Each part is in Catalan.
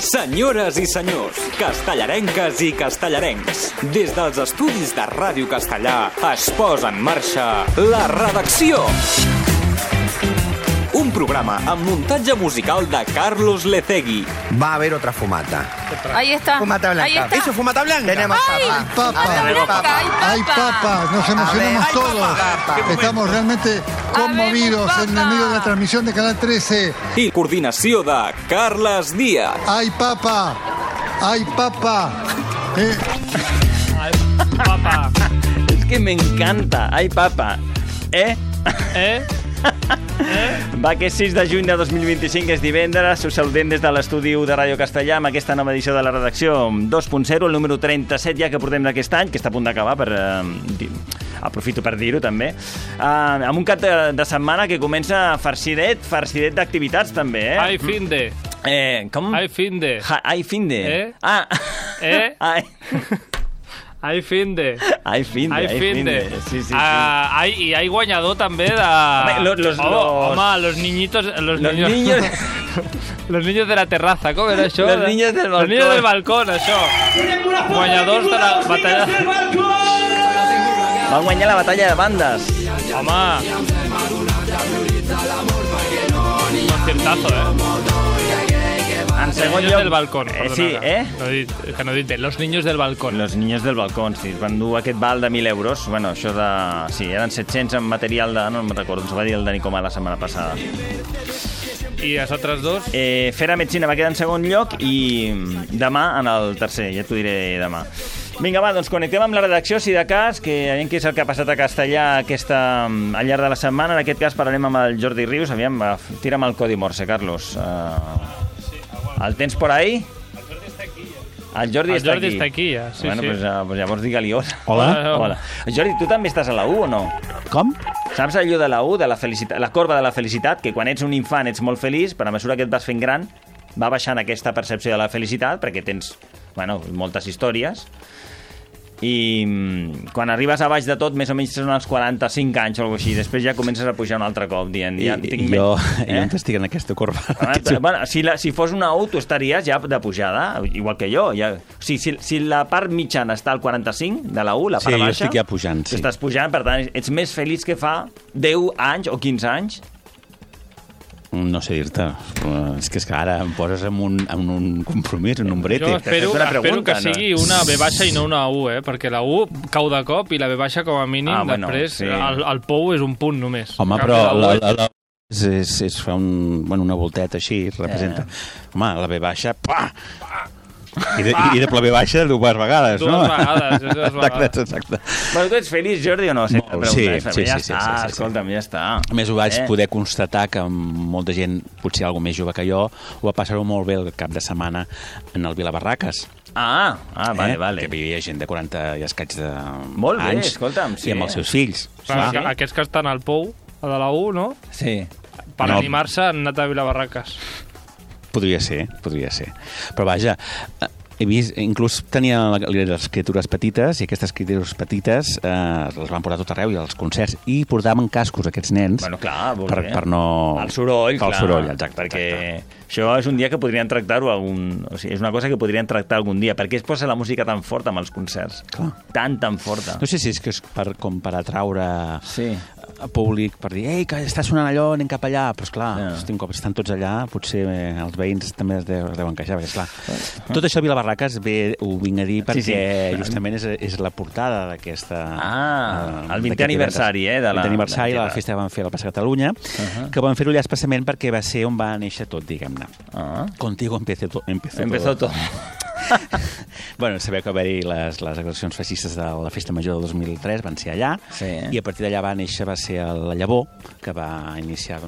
Senyores i senyors, castellarenques i castellarencs, des dels estudis de Ràdio Castellà es posa en marxa La Redacció. Un programa amb muntatge musical de Carlos Lecegui. Va a haber otra fumata. Ahí está. Fumata blanca. Ahí está. ¿Eso, fumata blanca? Tenemos ¡Ay, papá! Nos emocionamos todos. Estamos realmente conmovidos en el medio de la transmisión de Canal 13. I coordinació de Carles Díaz. ¡Ay, papá! ¡Ay, papá! Ay, papá. Es que me encanta. Ay, papá. Va, que és 6 de juny de 2025, és divendres. Us saludem des de l'estudi de Ràdio Castellà amb aquesta nova edició de la redacció 2.0, el número 37 ja que portem d'aquest any, que està a punt d'acabar, aprofito per dir-ho també, amb un cap de setmana que comença farcidet d'activitats també, eh? Ai, finde. Com? Ai, finde. Ai, finde. Ai, finde. Ai, finde. Sí. I hay guanyador també de... Home, los niños... Los niños de la terraza, com era això? Los niños del balcón. Los niños del balcón, això. Guanyadors de la batalla... Van guanyar la batalla de bandes. Home. Conciertazo, En segon niños lloc... del balcón. Sí, Que no he dit, los niños del balcón. Los niños del balcón, sí. Es van dur aquest val de 1.000 euros. Bueno, això de... Sí, eren 700 en material de... No me'n recordo, ens va dir el Dani Comà la setmana passada. I els altres dos? Fera Medicina va quedar en segon lloc i demà en el tercer, ja t'ho diré demà. Vinga, va, doncs connectem amb la redacció, si de cas, que aviam què és el que ha passat a Castellà al llarg de la setmana. En aquest cas parlarem amb el Jordi Rius. Aviam, tira'm el codi Morse, Carlos. El tens por ahí? El Jordi està aquí. Ja. Sí, bueno, sí. Pues llavors digue-li hola. Hola. Jordi, tu també estàs a la U o no? Com? Saps allò de la U, de la felicitat, la corba de la felicitat, que quan ets un infant ets molt feliç, però a mesura que et vas fent gran va baixant aquesta percepció de la felicitat perquè tens, moltes històries. I quan arribes a baix de tot, més o menys són els 45 anys o alguna cosa així. Després ja comences a pujar un altre cop, dient... Jo estic en aquesta corba. Bueno, si fos una U, tu estaries ja de pujada, igual que jo. Ja. O sigui, si la part mitjana està al 45 de la U, la part baixa... Sí, jo estic ja pujant, sí. Tu estàs pujant, per tant, ets més feliç que fa 10 anys o 15 anys. No sé dir-te. És que ara em poses en un compromís, en un brete. Jo espero que sigui una B baixa i no una U, perquè la U cau de cop i la B baixa com a mínim després sí. el POU és un punt només. Home, però la és fa una volteta així, representa. Home, la B baixa, I de la B baixa dues vegades, no? Dues vegades. Exacte. Bueno, tu ets feliç, Jordi, o no? Sí. Escolta'm, ja està. A més, ho vaig poder constatar que molta gent, potser algo més jove que jo, ho va passar-ho molt bé el cap de setmana en el Vilabarraques. Vale. Que vivia gent de 40 i escaig d'anys. Molt bé, escolta'm. I amb els seus fills. Aquests que estan al POU, a de la U, no? Sí. Per animar-se han anat a Vilabarraques. Podria ser. Però vaja, he vist, inclús tenia les criatures petites, i aquestes criatures petites les van portar tot arreu i als concerts, i portaven cascos aquests nens. Bueno, clar, per no... El soroll, clar. El soroll, exacte. Perquè això és un dia que podrien tractar-ho o sigui, és una cosa que podrien tractar algun dia, perquè es posa la música tan forta amb els concerts. Clar. Tan forta. No sé si és que és com per atraure sí. públic, per dir, ei, que està sonant allò, anem cap allà, però esclar, un cop estan tots allà, potser els veïns també es deuen queixar, perquè esclar, tot això a Vilabarraques ho vinc a dir perquè justament és la portada d'aquesta... el 20è aniversari, El 20è aniversari, la festa que van fer a la Plaça Catalunya, que van fer-ho allà especialment perquè va ser on va néixer tot, diguem-ne. Contigo empezó todo. Bueno, sabeu que va haver-hi les agressions feixistes de la Festa Major del 2003, van ser allà, i a partir d'allà va ser la llavor que va iniciar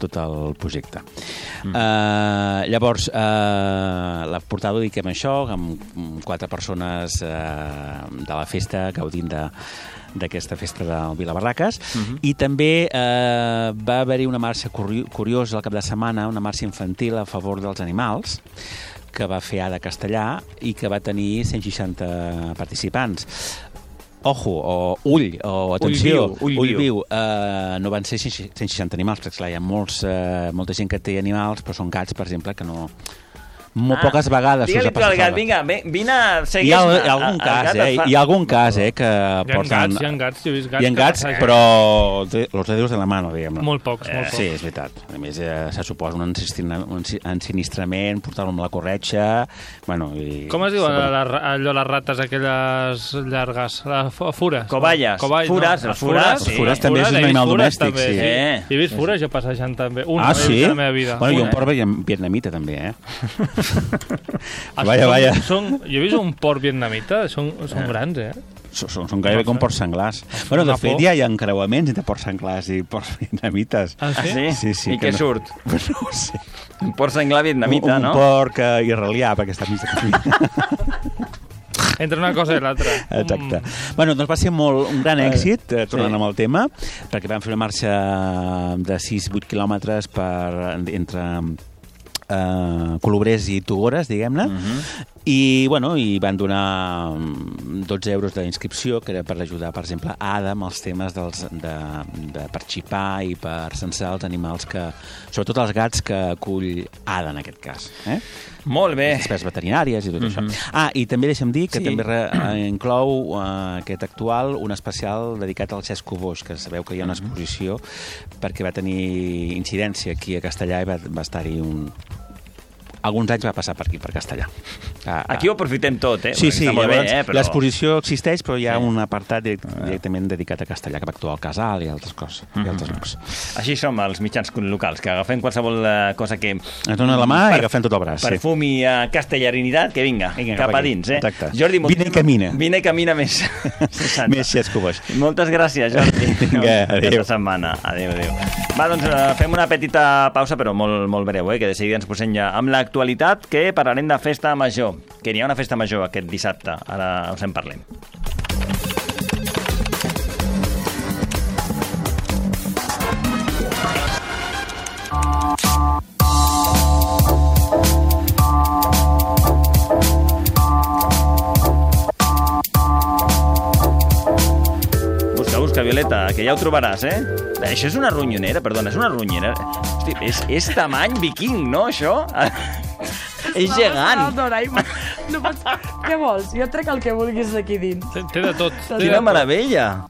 tot el projecte. Llavors, la portada ho dic amb això, amb 4 persones de la festa gaudint d'aquesta festa del Vilabarraques, i també va haver-hi una marxa curiosa al cap de setmana, una marxa infantil a favor dels animals, que va fer Ada Castellà i que va tenir 160 participants. Ojo, o ull, o atenció, ull viu. No van ser 160 animals, perquè clar, hi ha molta gent que té animals, però són gats, per exemple, que no molt poques vegades. Digue-li tu al gat, vinga, vine, segueix-me. Hi ha algun cas, que porten... Hi ha gats, jo he vist gats. Hi ha gats, però los dedos de la mano, diguem-ne. Molt pocs. Sí, és veritat. A més, se suposa un ensinistrament, portar-lo amb la corretxa... Com es diuen allò les rates aquelles llargues? Fures. Coballes. Fures. Fures també és un animal domèstic, sí. He vist fures jo passejant també. Sí? La meva vida. Bueno, i un porc vietnamita també, Vaja. Jo he vist un porc vietnamita, són grans, Són gairebé com porcs senglars. Bueno, de fet, ja hi ha encreuaments entre porcs senglars i porcs vietnamites. Ah, sí? Sí. I què surt? No ho sé. Un porc senglar vietnamita, no? Un porc israelià, perquè està mig de camí. Entre una cosa i l'altra. Exacte. Bueno, doncs va ser un gran èxit, tornant amb el tema, perquè vam fer una marxa de 6-8 quilòmetres entre Colobrers i Togores, diguem-ne, i van donar 12 euros d'inscripció, que era per ajudar, per exemple, Ada amb els temes per xipar i per censar els animals sobretot els gats que acull Ada, en aquest cas. Molt bé. Les despeses veterinàries i tot això. I també deixa'm dir que també inclou aquest actual un especial dedicat al Cesc Coboix, que sabeu que hi ha una exposició perquè va tenir incidència aquí a Castellà i va estar-hi alguns anys va passar per aquí, per Castellà. Aquí ho aprofitem tot, Sí, l'exposició existeix, però hi ha un apartat directament dedicat a Castellà, que va actuar al Casal i altres coses, i altres llocs. Així som els mitjans locals, que agafem qualsevol cosa que... Ens donen la mà i agafem tot el braç. Perfum i castellarinitat, que vinga, cap a dins. Exacte. Jordi, vine i camina més. Més Cesc Coboix. Moltes gràcies, Jordi. Vinga, adéu. Aquesta setmana. Adéu. Va, doncs fem una petita pausa, però molt breu, que de seguida ens posem ja amb l'actualitat, que parlarem de festa major, que n'hi ha una festa major aquest dissabte. Ara us en parlem. Busca, Violeta, que ja ho trobaràs, Això és una ronyonera, perdona, és una ronyonera. Hosti, és tamany viking, no, això? És gegant. No pots... Què vols? Jo trec el que vulguis d'aquí dins. Té de tot. Quina meravella.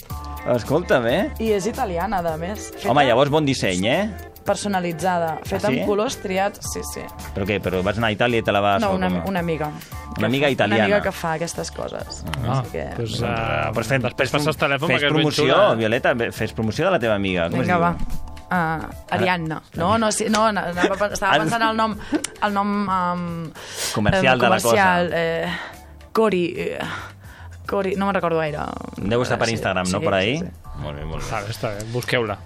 Escolta'm, I és italiana, a més. Home, llavors bon disseny, Personalitzada. Feta amb colors triats, sí. Però què? Però vas anar a Itàlia i te la vas... No, una amiga. Una amiga italiana. Una amiga que fa aquestes coses. Després passes el telèfon. Fes promoció, Violeta, fes promoció de la teva amiga. Vinga, va. Ariadna. Estava pensant el nom comercial de la cosa. Cori, no me'n recordo gaire. Deu estar per Instagram, no? Per ahí? Sí. Molt bé. Està bé, busqueu-la.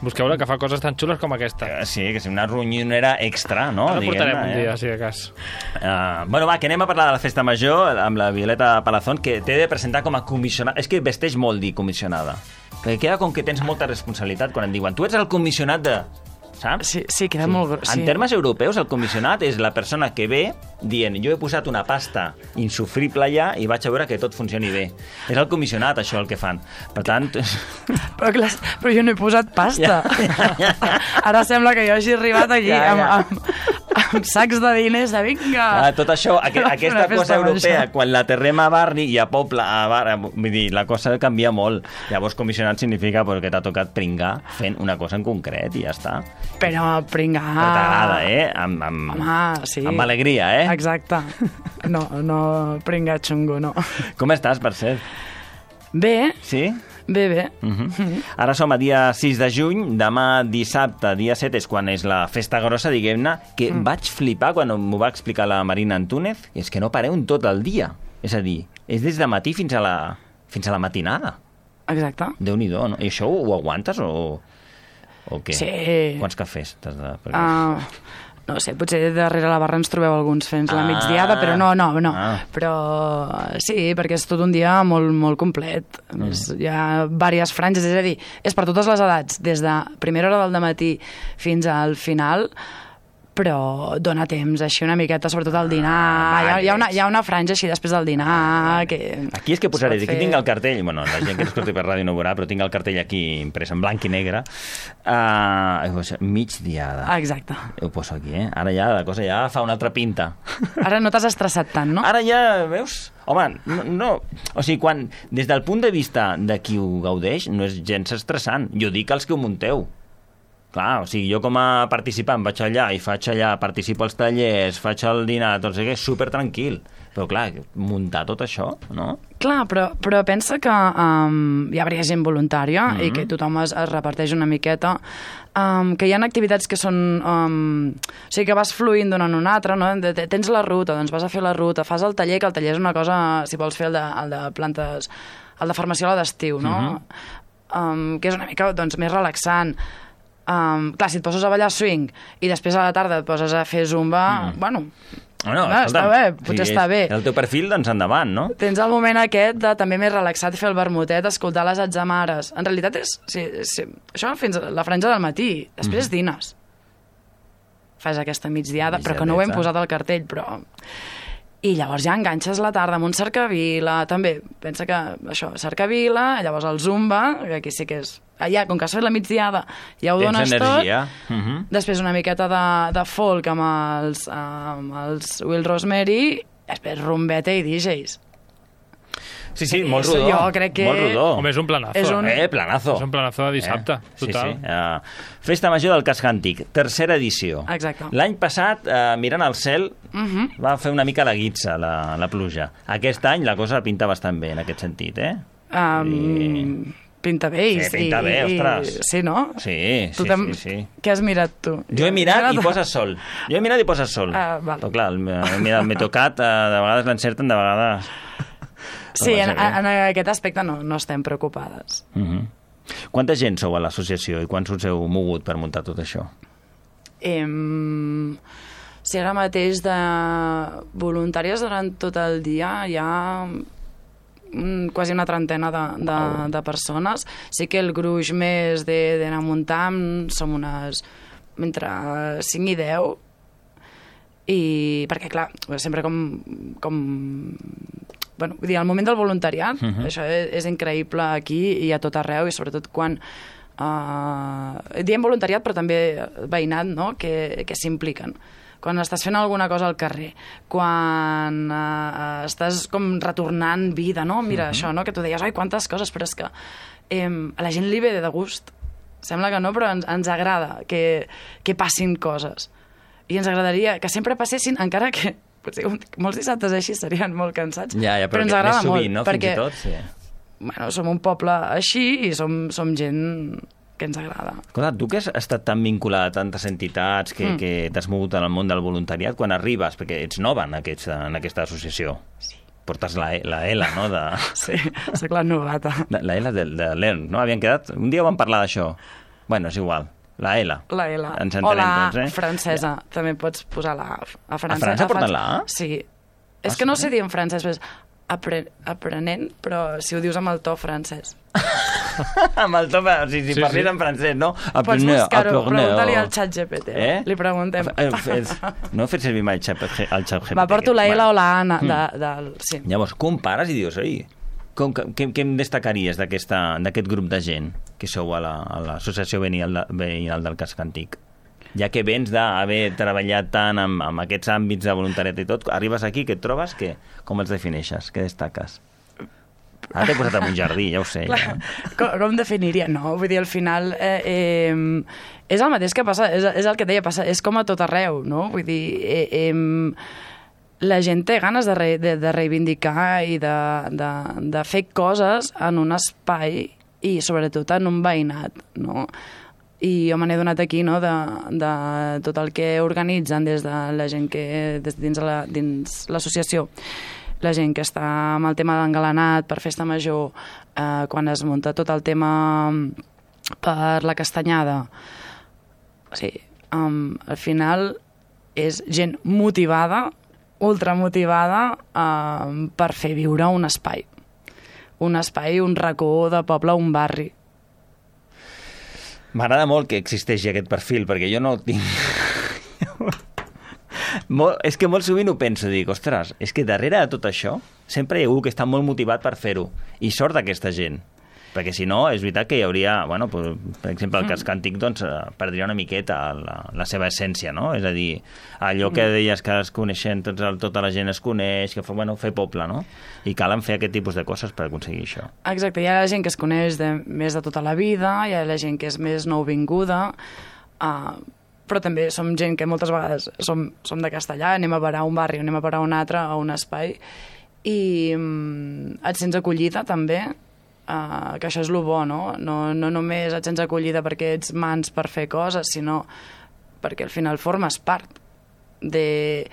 Busqueu-la, que fa coses tan xules com aquesta. Sí, que és una ronyonera extra, no? Ara portarem un dia, si de cas. Bueno, va, que anem a parlar de la festa major amb la Violeta Palazón, que t'he de presentar com a comissionada. És que vesteix molt dir comissionada. Perquè queda com que tens molta responsabilitat quan em diuen tu ets el comissionat de... Saps? Sí, queda molt gros. En termes europeus, el comissionat és la persona que ve dient jo he posat una pasta insufrible allà i vaig a veure que tot funcioni bé. És el comissionat, això, el que fan. Per tant... Però jo no he posat pasta. Ja. Ara sembla que jo hagi arribat aquí amb sacs de diners de vinga. Tot això, aquesta cosa europea, quan la terrem a Barri i a Poble, vull dir, la cosa canvia molt. Llavors, comissionat significa que t'ha tocat pringar fent una cosa en concret i ja està. Però pringar... Però t'agrada, Home, sí. Amb alegria, Exacte. No pringar xungo, no. Com estàs, per cert? Bé. Sí? Bé. Ara som a dia 6 de juny, demà dissabte, dia 7, és quan és la festa grossa, diguem-ne, que vaig flipar quan m'ho va explicar la Marina Antúnez, és que no pareu en tot el dia. És a dir, és des de matí fins a la matinada. Exacte. Déu-n'hi-do, no? I això ho aguantes o què? Sí. Quants cafès t'has de... No sé, potser darrere la barra ens trobeu alguns fent la migdiada, però no. Però sí, perquè és tot un dia molt, molt complet. A més, hi ha diverses franges, és a dir, és per totes les edats, des de primera hora del dematí fins al final, però dona temps, així una miqueta, sobretot al dinar. Hi ha una franja així després del dinar que... Aquí és que posaré, aquí tinc el cartell, bueno, la gent que escolti per ràdio no ho veurà, però tinc el cartell aquí imprès en blanc i negre, migdiada. Exacte. Ho poso aquí, Ara ja la cosa ja fa una altra pinta. Ara no t'has estressat tant, no? Ara ja, veus? Home, no. O sigui, quan, des del punt de vista de qui ho gaudeix, no és gens estressant. Jo dic els que ho munteu. Clar, o sigui, jo com a participant vaig allà i participo als tallers, faig el dinar, tot això, és super tranquil. Però clar, muntar tot això, no? Clar, però pensa que hi hauria gent voluntària i que tothom es reparteix una miqueta, que hi ha activitats que són... o sigui, que vas fluint d'una en una altra, no? Tens la ruta, doncs vas a fer la ruta, fas el taller, que el taller és una cosa, si vols fer el de plantes, el de farmaciola d'estiu, no? Que és una mica doncs, més relaxant. Clar, si et poses a ballar swing i després a la tarda et poses a fer zumba, bueno, està bé, potser està bé. El teu perfil, doncs endavant, no? Tens el moment aquest de també més relaxat, fer el vermutet, escoltar les atzamares. En realitat és això fins a la franja del matí, després dines. Fas aquesta migdiada, però que no ho hem posat al cartell, però... I llavors ja enganxes la tarda amb un cercavila, també, pensa que això, cercavila, llavors el zumba, que aquí sí que és... Allà, com que has fet la migdiada, ja ho dones tot. Després una miqueta de folk amb els Will Rosemary, després rumbeta i DJs. Sí, molt rodó. Jo crec que... Molt rodó. Home, és un planazo. Planazo. És un planazo de dissabte, total. Sí. Festa Major del Casc Antic, tercera edició. Exacte. L'any passat, mirant al cel, va fer una mica la guitza, la pluja. Aquest any la cosa pinta bastant bé, en aquest sentit, Pinta bé. Sí, pinta bé, ostres. Sí, no? Sí. Què has mirat tu? Jo he mirat i poses sol. Però clar, m'he tocat, de vegades l'encerten, de vegades... Sí, en aquest aspecte no estem preocupades. Quanta gent sou a l'associació i quants us heu mogut per muntar tot això? Si ara mateix de voluntàries durant tot el dia hi ha quasi una trentena de persones. Sí que el gruix més d'anar muntant som unes entre 5 i 10, i perquè clar, sempre com bueno, vull dir, el moment del voluntariat, això és increïble aquí i a tot arreu, i sobretot quan diem voluntariat però també veïnat, no? que s'impliquen. Quan estàs fent alguna cosa al carrer, quan estàs com retornant vida, no? Mira això, no? Que tu deies, ai, quantes coses, però és que a la gent li ve de gust. Sembla que no, però ens agrada que passin coses. I ens agradaria que sempre passessin, encara que potser molts dissabtes així serien molt cansats, però ens agrada molt, no? perquè bueno, som un poble així i som gent que ens agrada. Escolta, tu que has estat tan vinculada a tantes entitats, que t'has mogut en el món del voluntariat, quan arribes, perquè ets nova en aquesta associació, portes la L, no? Sí, soc la novata. La L de l'ERN, no? Havien quedat... Un dia vam parlar d'això. Bueno, és igual. La L. La L. Ens entenem, o la doncs, francesa. També pots posar la A. A França porten la A? Sí. És que no sé dir en francès, però aprenent, però si ho dius amb el to francès. Amb el to... Si parlis en francès, no? Pots buscar-ho. Pregunta-li al xat GPT. Li preguntem. No he fet servir mai el xat GPT. Va, porto la L o la A. Sí. Llavors, compares i dius, oi... Què em destacaries d'aquest grup de gent que sou a l'Associació Veïnal del Casc Antic? Ja que vens d'haver treballat tant amb aquests àmbits de voluntariat i tot, arribes aquí, què et trobes? Com els defineixes? Què destaques? Ara t'he posat en un jardí, ja ho sé. Ja. Com definiria? No, vull dir, al final és el mateix que passa, és el que deia, passa, és com a tot arreu, no? Vull dir... la gent té ganes de reivindicar i de fer coses en un espai i sobretot en un veïnat, no? I jo me n'he donat aquí, no?, de tot el que organitzen des de la gent que dins l'associació, la gent que està amb el tema d'engalanat per festa major, quan es munta tot el tema per la castanyada. O sigui, al final és gent motivada, ultramotivada per fer viure un espai, un racó de poble, un barri. M'agrada molt que existeixi aquest perfil, perquè jo no tinc... És que molt sovint ho penso, dic, ostres, és que darrere de tot això sempre hi ha algú que està molt motivat per fer-ho, i sort d'aquesta gent. Perquè si no, és veritat que hi hauria, bueno, per exemple, el cas càntic doncs, perdria una miqueta la seva essència, no? És a dir, allò que deies que es coneixen, tota la gent es coneix, que fer poble, no? I calen fer aquest tipus de coses per aconseguir això. Exacte, hi ha la gent que es coneix més de tota la vida, hi ha la gent que és més nouvinguda, però també som gent que moltes vegades som de Castellà, anem a parar a un barri, anem a parar a un altre, a un espai, i et sents acollida també, que això és el bo, no? No només et sents acollida perquè ets mans per fer coses, sinó perquè al final formes part de...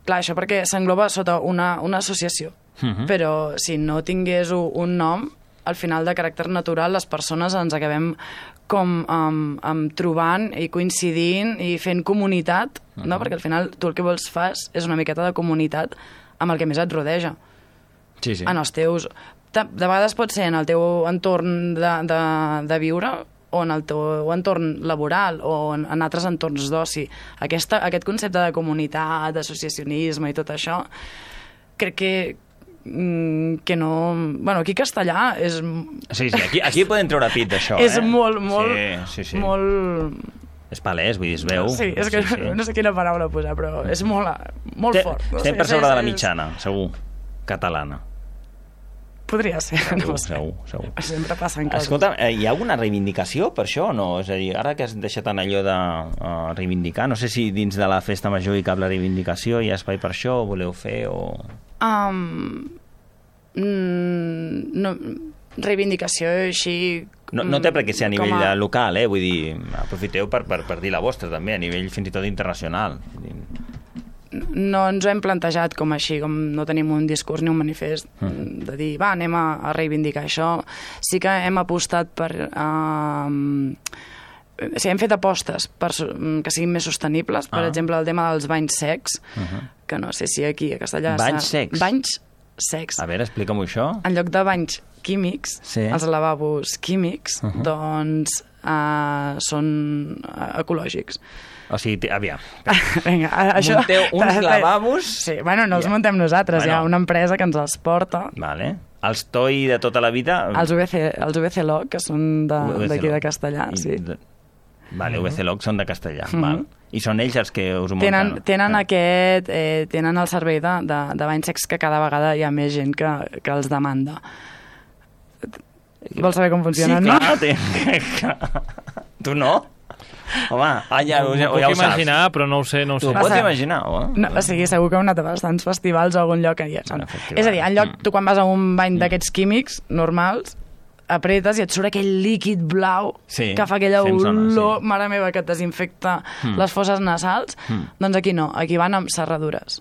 Clar, això perquè s'engloba sota una associació, però si no tingués un nom, al final de caràcter natural les persones ens acabem com trobant i coincidint i fent comunitat, no? Perquè al final tu el que vols fas és una miqueta de comunitat amb el que més et rodeja. Sí. En els teus... De vegades pot ser en el teu entorn de viure o en el teu entorn laboral o en altres entorns d'oci. Aquest concepte de comunitat, d'associacionisme i tot això, crec que no... Bueno, aquí a Castellà és... Sí, aquí podem treure pit d'això, És molt... Sí. Molt... És palès, vull dir, es veu. Sí, és que no sé quina paraula posar, però és molt fort. Estem per sobre de la mitjana, segur, catalana. Podria ser, no sé. Segur. Sempre passen coses. Escolta, hi ha alguna reivindicació per això o no? És a dir, ara que has deixat en allò de reivindicar, no sé si dins de la festa major hi cap la reivindicació, hi ha espai per això, o voleu fer, o... No, reivindicació així... No té per què ser a nivell local, vull dir, aprofiteu per dir la vostra també, a nivell fins i tot internacional. No ens ho hem plantejat com així, com no tenim un discurs ni un manifest de dir, anem a reivindicar això. Sí que hem apostat per... hem fet apostes que siguin més sostenibles. Per exemple, el tema dels banys secs, que no sé si aquí a Castellà... Banys secs? Banys secs. A veure, explica'm això. En lloc de banys químics, els lavabos químics, doncs són ecològics. O sigui, aviam. Vinga, això... Munteu uns lavabos... Sí, bueno, no els muntem nosaltres, hi ha una empresa que ens els porta. Vale. Els TOI de tota la vida... Els VC-Log, que són d'aquí de Castellà, sí. Vale, VC-Log són de Castellà, val. I són ells els que us ho munten? Tenen el servei de banys secs que cada vegada hi ha més gent que els demanda. Vols saber com funcionen, no? Sí, clar. Tu no? Home, ja ho puc imaginar, però no ho sé. Tu ho pots imaginar, no, o sigui, segur que heu anat a bastants festivals o algun lloc que hi ha. És a dir, en lloc, tu quan vas a un bany d'aquests químics normals, apretes i et surt aquell líquid blau que fa aquella olor, mare meva, que et desinfecta les fosses nasals. Doncs aquí no, aquí van amb serradures.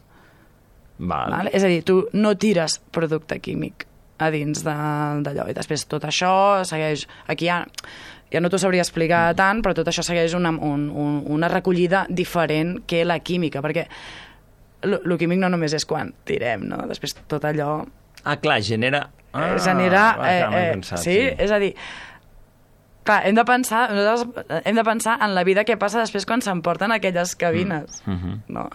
Val? És a dir, tu no tires producte químic a dins d'allò. I després tot això segueix... Aquí ja no t'ho sabria explicar tant, però tot això segueix una recollida diferent que la química, perquè el químic no només és quan tirem, no? Després tot allò... clar, genera... Sí, és a dir... Clar, hem de pensar en la vida que passa després quan s'emporten aquelles cabines. No?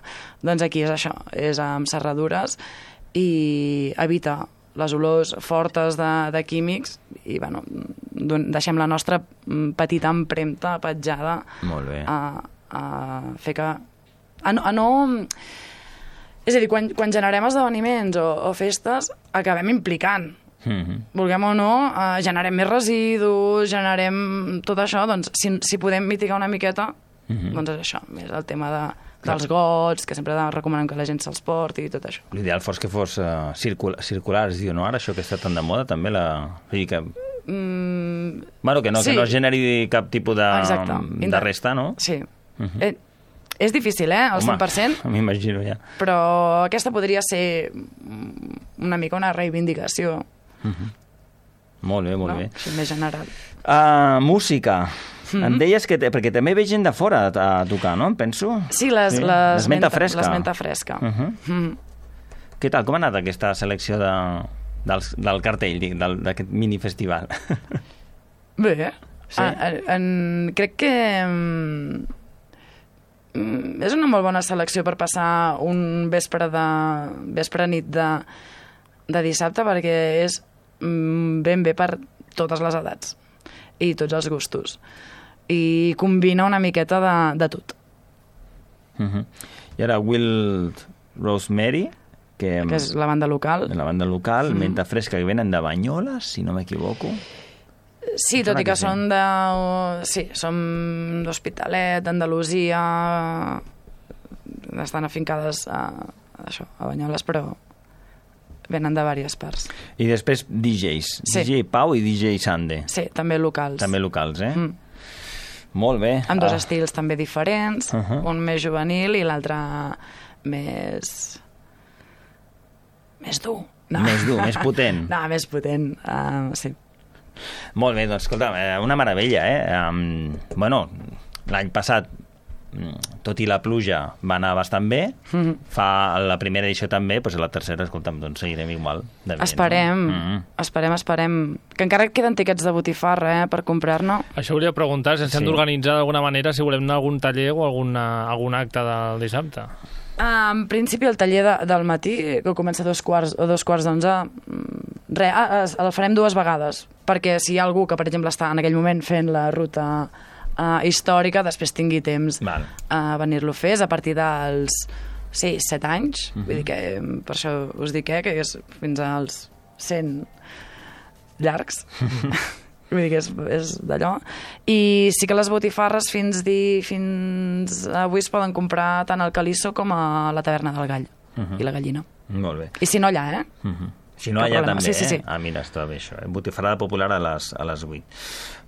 Doncs aquí és això, és amb serradures i evitar les olors fortes de químics i, bueno, deixem la nostra petita empremta petjada a fer que... És a dir, quan generem esdeveniments o festes, acabem implicant. Vulguem o no, generem més residus, generem tot això, doncs si podem mitigar una miqueta, doncs és això, més el tema dels gots, que sempre recomanem que la gent se'ls porti i tot això. L'ideal fos que fos circular, es diu, no? Ara això que està tan de moda, també bueno, que no generi cap tipus de resta, no? Sí. És difícil, al 100%. M'imagino, ja. Però aquesta podria ser una mica una reivindicació. Molt bé, molt bé. Així més general. Música. Em deies que... Perquè també ve gent de fora a tocar, no? Em penso. Sí, l'esmenta fresca. L'esmenta fresca. Què tal? Com ha anat aquesta selecció del cartell, d'aquest minifestival? Bé. Sí? Crec que... és una molt bona selecció per passar un vespre nit de dissabte, perquè és ben bé per totes les edats i tots els gustos. I combina una miqueta de tot. I ara Wild Rosemary, que és la banda local. La banda local, Menta Fresca, que venen de Banyoles, si no m'equivoco. Sí, tot i que són som d'Hospitalet, d'Andalusia, estan afincades a Banyoles, però venen de diverses parts. I després DJs, DJ Pau i DJ Sande. Sí, també locals. També locals, Molt bé. Amb dos estils també diferents, un més juvenil i l'altre més dur. Més dur, més potent. No, més potent, sí. Molt bé, doncs, escolta, una meravella, Bueno, l'any passat, tot i la pluja, va anar bastant bé. Fa la primera edició també, doncs la tercera, escolta'm, doncs seguirem igual de bé. Esperem. Que encara queden tiquets de botifarra, per comprar-ne. Això volia preguntar, si ens hem d'organitzar d'alguna manera, si volem anar a algun taller o algun acte del dissabte. En principi, el taller del matí, que comença a 2:15, el farem 2 vegades, perquè si hi ha algú que, per exemple, està en aquell moment fent la ruta històrica, després tingui temps a venir-lo a fer, és a partir dels 7 anys, vull dir que per això us dic que és fins als 100 llargs. Vull dir que és d'allò. I sí que les botifarres fins avui es poden comprar tant al Calisso com a la Taverna del Gall i la Gallina. Molt bé. I si no allà, Si no, allà també, sí. Mira, està bé això. Botifarrada popular a les 8.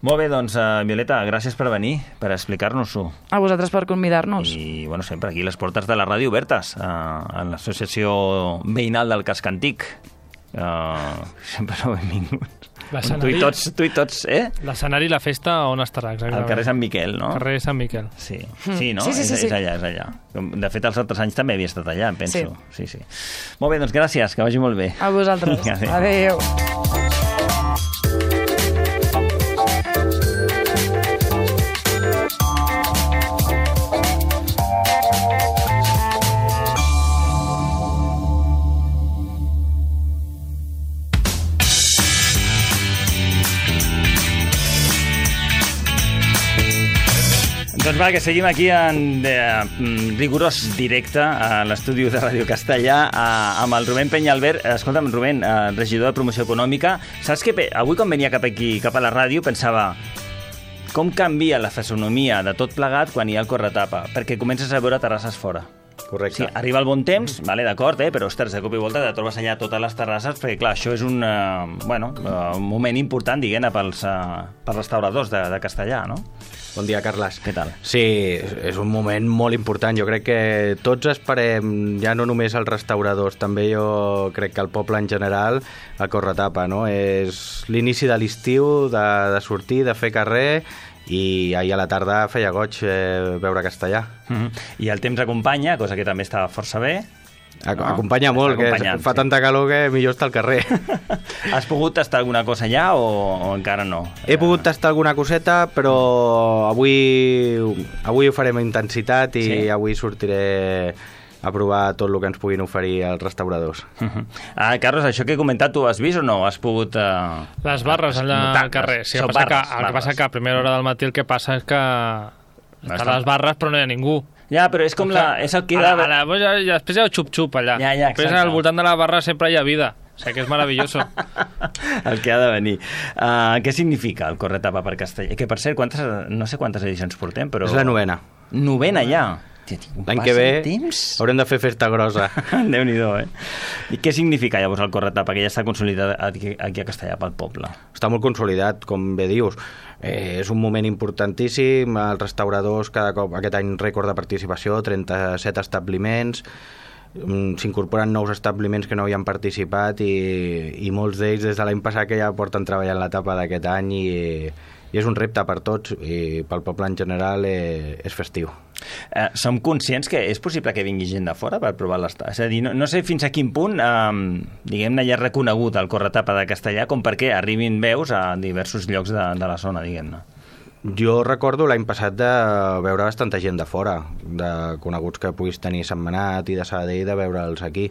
Molt bé, doncs, Violeta, gràcies per venir, per explicar-nos-ho. A vosaltres per convidar-nos. I, bueno, sempre aquí les portes de la ràdio obertes, a l'Associació Veïnal del Casc Antic. Sempre sou benvinguts. Tu i tots, L'escenari i la festa on estarà, exactament? Al carrer Sant Miquel, no? Carrer Sant Miquel. Sí, no? Sí. És allà. De fet, els altres anys també havia estat allà, em penso. Sí. Molt bé, doncs gràcies, que vagi molt bé. A vosaltres. Adéu. Doncs va, que seguim aquí en rigorós directe a l'estudi de Ràdio Castellà amb el Rubén Peñalver. Escolta'm, Rubén, regidor de Promoció Econòmica, saps que avui quan venia cap aquí, cap a la ràdio, pensava com canvia la fisonomia de tot plegat quan hi ha el corretapa, perquè comences a veure terrasses fora. Correcte. Sí, arriba el bon temps, vale, d'acord, però ostres, de cop i volta te trobes allà totes les terrasses, perquè clar, això és un moment important, diguem-ne, pels restauradors de Castellà, no? Bon dia, Carles. Què tal? Sí, és un moment molt important. Jo crec que tots esperem, ja no només els restauradors, també jo crec que el poble en general, el corretapa, no? És l'inici de l'estiu, de sortir, de fer carrer, i ahir a la tarda feia goig veure Castellà. I el temps acompanya, cosa que també està força bé. Acompanya molt, que fa tanta calor que millor estar al carrer. Has pogut tastar alguna cosa allà o encara no? He pogut tastar alguna coseta, però avui ho farem a intensitat i avui sortiré a provar tot el que ens puguin oferir els restauradors. Carlos, això que he comentat, tu has vist o no? Has pogut... Les barres allà al carrer. Sí, el que passa que a primera hora del matí el que passa és que estan les barres però no hi ha ningú. Ja, però és com és el que... Després hi ha el xup-xup allà. Després al voltant de la barra sempre hi ha vida. O sigui que és meravelloso. El que ha de venir. Què significa el corretapa per Castellà? Que, per cert, no sé quantes edicions portem, però... És la 9ena. 9ena ja? L'any que ve haurem de fer festa grossa. Déu-n'hi-do, I què significa llavors el corretapa, que ja està consolidat aquí a Castellà pel poble? Està molt consolidat, com bé dius. És un moment importantíssim. Els restauradors, cada cop, aquest any rècord de participació, 37 establiments, s'incorporen nous establiments que no havien participat i molts d'ells des de l'any passat que ja porten treballant l'etapa d'aquest any i és un repte per tots i pel poble en general és festiu. Som conscients que és possible que vingui gent de fora per provar l'estat? És a dir, no sé fins a quin punt diguem-ne ja reconegut el corretapa de Castellà com perquè arribin veus a diversos llocs de la zona, diguem-ne. Jo recordo l'any passat de veure bastanta gent de fora, de coneguts que puguis tenir Sentmenat i de Sabadell, de veure'ls aquí.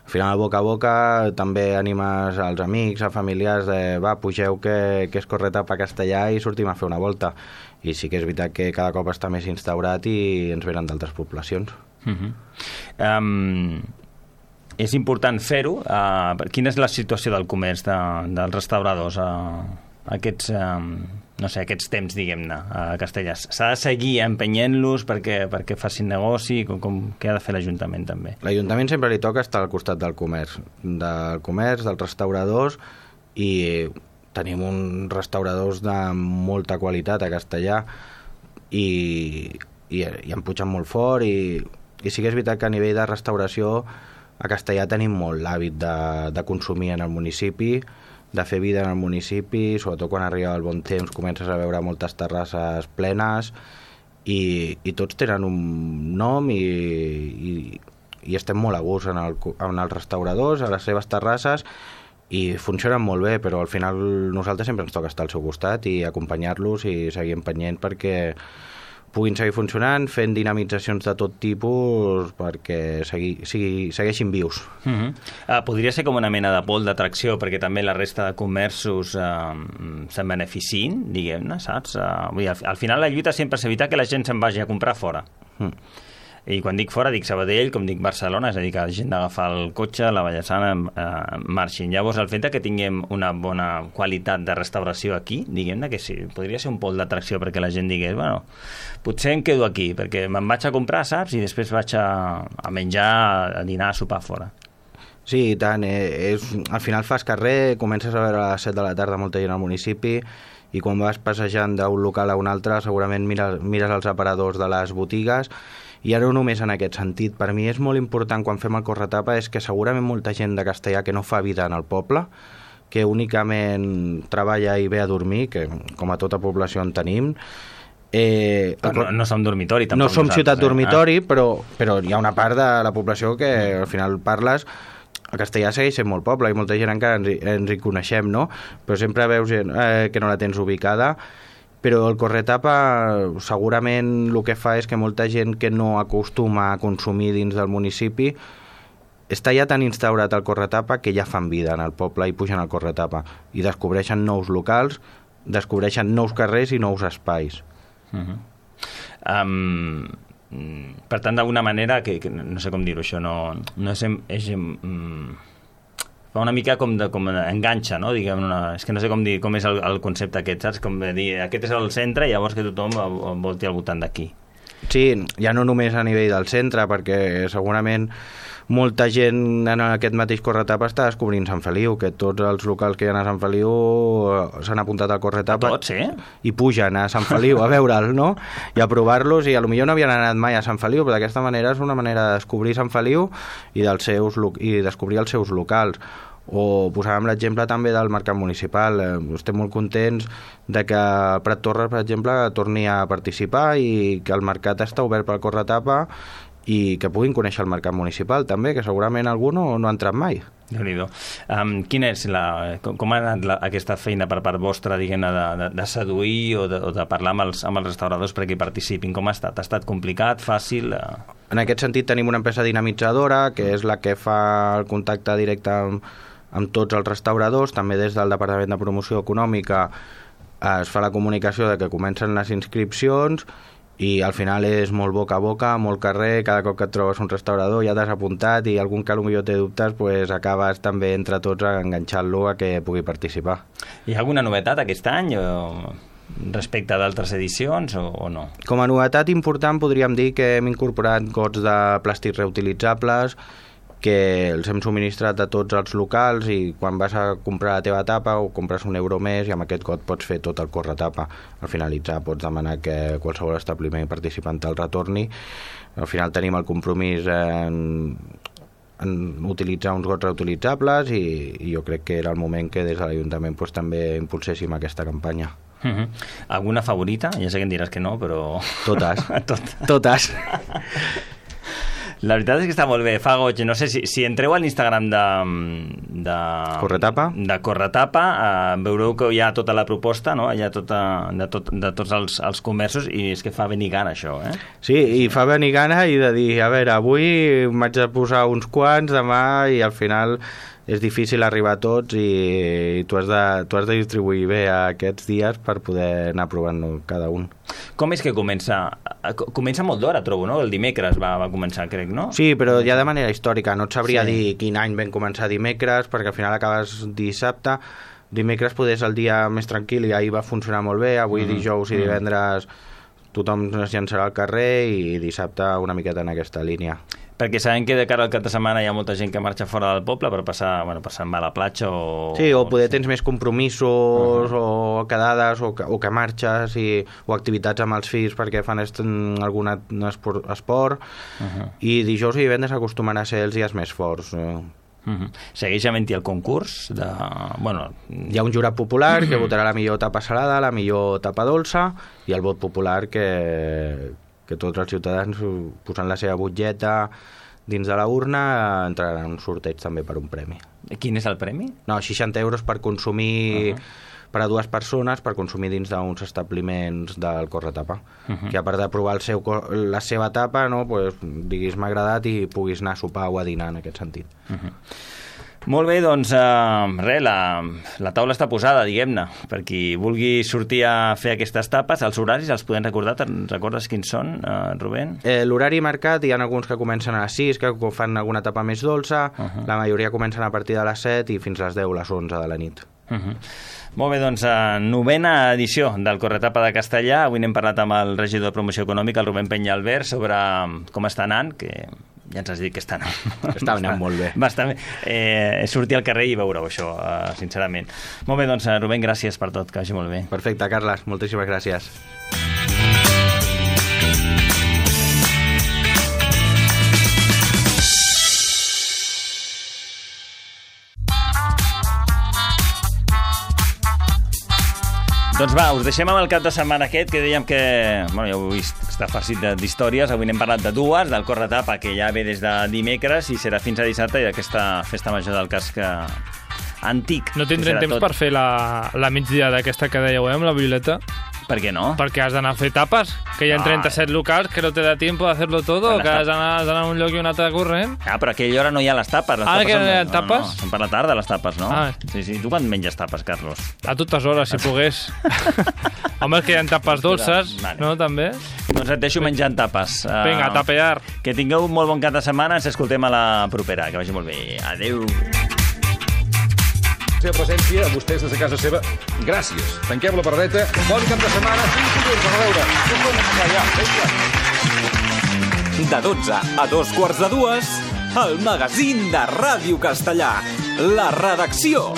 Al final, boca a boca, també animes als amics, a familiars, de va, pugeu que és corretapa a Castellà i sortim a fer una volta. I sí que és veritat que cada cop està més instaurat i ens venen d'altres poblacions. És important fer-ho. Quina és la situació del comerç, dels restauradors, aquests temps, diguem-ne, a Castellà? S'ha de seguir empenyent-los perquè facin negoci? Què ha de fer l'Ajuntament, també? L'Ajuntament sempre li toca estar al costat del comerç, dels restauradors, i tenim uns restauradors de molta qualitat a Castellà i en pugen molt fort, i sí que és veritat que a nivell de restauració a Castellà tenim molt l'hàbit de consumir en el municipi, de fer vida en el municipi, sobretot quan arriba el bon temps comences a veure moltes terrasses plenes i tots tenen un nom i estem molt a gust en els restauradors, a les seves terrasses, i funcionen molt bé, però al final nosaltres sempre ens toca estar al seu costat i acompanyar-los i seguir empenyent perquè puguin seguir funcionant, fent dinamitzacions de tot tipus perquè segueixin vius. Podria ser com una mena de pol d'atracció perquè també la resta de comerços se'n beneficien, diguem-ne, saps? Al final la lluita sempre és evitar que la gent se'n vagi a comprar fora. I quan dic fora, dic Sabadell, com dic Barcelona, és a dir, que la gent d'agafar el cotxe, la Vallesana, marxin. Llavors, el fet que tinguem una bona qualitat de restauració aquí, diguem-ne que sí, podria ser un pol d'atracció perquè la gent digués, bueno, potser em quedo aquí, perquè me'n vaig a comprar, saps? I després vaig a menjar, a dinar, a sopar fora. Sí, i tant. Al final fas carrer, comences a veure a les 7 de la tarda molta gent al municipi, i quan vas passejant d'un local a un altre segurament mires els aparadors de les botigues. I ara no només en aquest sentit. Per mi és molt important quan fem el corretapa és que segurament molta gent de Castellà que no fa vida en el poble, que únicament treballa i ve a dormir, que com a tota població en tenim. No som dormitori, tampoc. No som ciutat dormitori, però hi ha una part de la població que al final parles. A Castellà segueix sent molt poble i molta gent encara ens hi coneixem, no? Però sempre veus gent que no la tens ubicada. Però el corretapa segurament el que fa és que molta gent que no acostuma a consumir dins del municipi està ja tan instaurat el corretapa que ja fan vida en el poble i pugen al corretapa i descobreixen nous locals, descobreixen nous carrers i nous espais. Per tant, d'alguna manera, que no sé com dir-ho, això no és fa una mica com enganxa, no? Diguem, és que no sé com dir com és el concepte aquest, saps? Com dir, aquest és el centre i llavors que tothom volti al voltant d'aquí. Sí, ja no només a nivell del centre, perquè segurament molta gent en aquest mateix corretapa està descobrint Sant Feliu, que tots els locals que hi ha a Sant Feliu s'han apuntat al corretapa. Tots, i pugen a Sant Feliu a veure'l, no? I a provar-los, i potser no havien anat mai a Sant Feliu, però d'aquesta manera és una manera de descobrir Sant Feliu i descobrir els seus locals. O posàvem l'exemple també del mercat municipal. Estem molt contents de que Prat Torres, per exemple, torni a participar i que el mercat està obert pel corretapa i que puguin conèixer el mercat municipal també, que segurament algú no ha entrat mai. Déu-n'hi-do. Com ha anat aquesta feina per part vostra, diguem-ne, de seduir o de parlar amb els restauradors perquè hi participin? Com ha estat? Ha estat complicat, fàcil? En aquest sentit tenim una empresa dinamitzadora, que és la que fa el contacte directe amb tots els restauradors. També des del Departament de Promoció Econòmica es fa la comunicació de que comencen les inscripcions i al final és molt boca a boca, molt carrer. Cada cop que et trobes un restaurador ja t'has apuntat i algun que potser té dubtes, pues acabes també entre tots enganxant-lo a que pugui participar. Hi ha alguna novetat aquest any respecte d'altres edicions o no? Com a novetat important podríem dir que hem incorporat gots de plàstics reutilitzables que els hem subministrat a tots els locals i quan vas a comprar la teva tapa o compres €1 més i amb aquest got pots fer tot el corretapa. Al finalitzar pots demanar que qualsevol establiment participant te'l retorni. Al final tenim el compromís en utilitzar uns gots reutilitzables i jo crec que era el moment que des de l'Ajuntament pues, també impulséssim aquesta campanya. Alguna favorita? Ja sé que em diràs que no, però... Totes. Totes. La veritat és que està molt bé, fa goig. No sé si entreu a l'Instagram de Corretapa, veureu que hi ha tota la proposta, no? Hi ha de tots els comerços, i és que fa venir gana això, eh? Sí, i fa venir gana i de dir, a veure, avui m'haig de posar uns quants, demà, i al final és difícil arribar a tots i tu has de distribuir bé aquests dies per poder anar provant cada un. Com és que comença? Comença molt d'hora, trobo, no? El dimecres va començar, crec, no? Sí, però ja de manera històrica. No et sabria dir quin any vam començar dimecres, perquè al final acabes dissabte. Dimecres poder és el dia més tranquil i ahir va funcionar molt bé. Avui dijous i divendres tothom es llançarà al carrer i dissabte una miqueta en aquesta línia. Perquè sabem que de cara al cap de setmana hi ha molta gent que marxa fora del poble per passar a la platja o... Sí, o poder tens més compromisos o quedades o que marxes o activitats amb els fills perquè fan algun esport i dijous i divendres acostumen a ser els dies més forts. Segueix havent-hi el concurs de... Hi ha un jurat popular que votarà la millor tapa salada, la millor tapa dolça i el vot popular que tots els ciutadans posant la seva butlleta dins de la urna entraran en un sorteig també per un premi. Quin és el premi? No, 60 euros per consumir per a 2 persones per consumir dins d'uns establiments del Corretapa. Que a part de provar la seva tapa, no, pues, diguis m'ha agradat i puguis anar a sopar o a dinar en aquest sentit. Molt bé, doncs la taula està posada, diguem-ne, per qui vulgui sortir a fer aquestes tapes. Els horaris els podem recordar? Te'n recordes quins són, Rubén? L'horari marcat, hi ha alguns que comencen a les 6, que fan alguna tapa més dolça, la majoria comencen a partir de les 7 i fins a les 10, les 11 de la nit. Molt bé, doncs, 9a edició del Corretapa de Castellà. Avui n'hem parlat amb el regidor de Promoció Econòmica, el Rubén Peñalver, sobre com està anant, que ja ens has dit que està anant molt bé. Bastant bé. Sortir al carrer i veure-ho, això, sincerament. Molt bé, doncs, Rubén, gràcies per tot, que vagi molt bé. Perfecte, Carles, moltíssimes gràcies. Doncs va, us deixem amb el cap de setmana aquest, que dèiem que, ja ho heu vist, està farcit d'històries. Avui n'hem parlat de dues, del Corretapa, que ja ve des de dimecres i serà fins a dissabte, i d'aquesta festa major del casc antic. No tindrem temps per fer la migdia d'aquesta que dèieu, amb la violeta? Per què no? Perquè has d'anar a fer tapes, que hi ha 37 locals, que no te da tiempo de hacerlo todo, que has d'anar a un lloc i un altre corrent. Però a aquella hora no hi ha les tapes. Que no hi ha tapes? No, són per la tarda, les tapes, no? Sí. Tu quan menges tapes, Carlos? A totes hores, si pogués. Home, és que hi ha tapes dolces, no, també? Doncs et deixo menjant tapes. Vinga, a tapear. Que tingueu un molt bon cap de setmana, ens escoltem a la propera. Que vagi molt bé. Adéu. Seva presència, a vostès des de casa seva. Gràcies. Tanquem la pardeta. Bon cap de setmana. De 12 a 2:15, el magazín de Ràdio Castellà. La redacció.